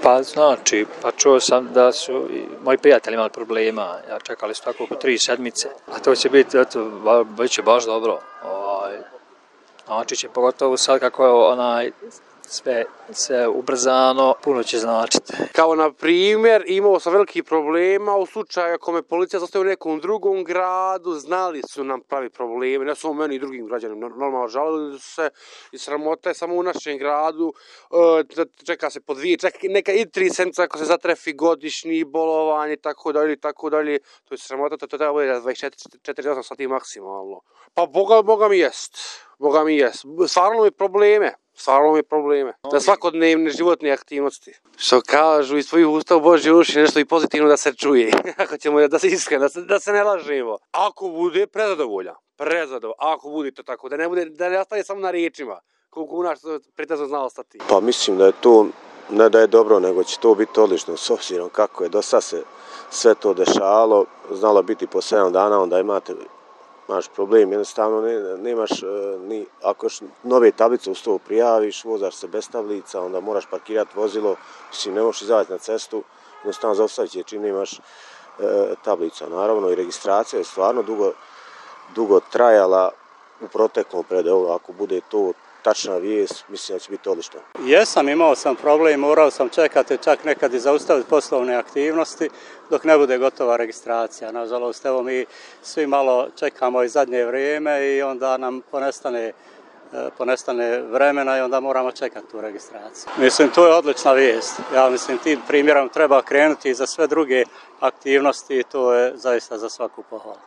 Pa znači, čuo sam da su i moji prijatelji imali problema, čekali su tako oko 3 sedmice, a to će biti, bit će baš dobro. Znači će pogotovo sad kako je sve ubrzano, puno će značiti. Kao na primjer, imao sam velikih problema u slučaju ako me policija zastavi u nekom drugom gradu, znali su nam pravi probleme, ne samo meni i drugim građanima, normalno žalili su se i sramota je samo u našem gradu, čeka se po 2, čak neka i 3 sedmice ako se zatrefi godišnji bolovanje i tako dalje, to je sramota, to treba bude 24-48 sati maksimalno. Pa Boga mi jest, stvarno mi probleme. Za svakodnevne životne aktivnosti. Što kažu iz svojih usta u Božje uši nešto i pozitivno da se čuje. Ako ćemo da se iskreno, da se ne lažemo. Ako bude prezadovoljan. Ako bude to tako, da ne ostane samo na riječima. Koliko u nas pretezno zna ostati. Pa mislim da je to, ne da je dobro, nego će to biti odlično s obzirom kako je do sad se sve to dešavalo. Znalo biti po 7 dana, onda imaš problem, jednostavno nemaš ni, ako nove tablice uz to prijaviš, vozaš se bez tablica, onda moraš parkirati vozilo, mislim ne možeš izaći na cestu, jednostavno zaustavit će čim nemaš tablica. Naravno i registracija je stvarno dugo trajala u proteklom periodu, ako bude to tačna vijest, mislim da će biti odlično. Imao sam problem, morao sam čekati čak nekad i zaustaviti poslovne aktivnosti dok ne bude gotova registracija. Nažalost, evo mi svi malo čekamo i zadnje vrijeme i onda nam ponestane vremena i onda moramo čekati tu registraciju. Mislim, to je odlična vijest. Ja mislim, tim primjerom treba krenuti i za sve druge aktivnosti i to je zaista za svaku pohvalu.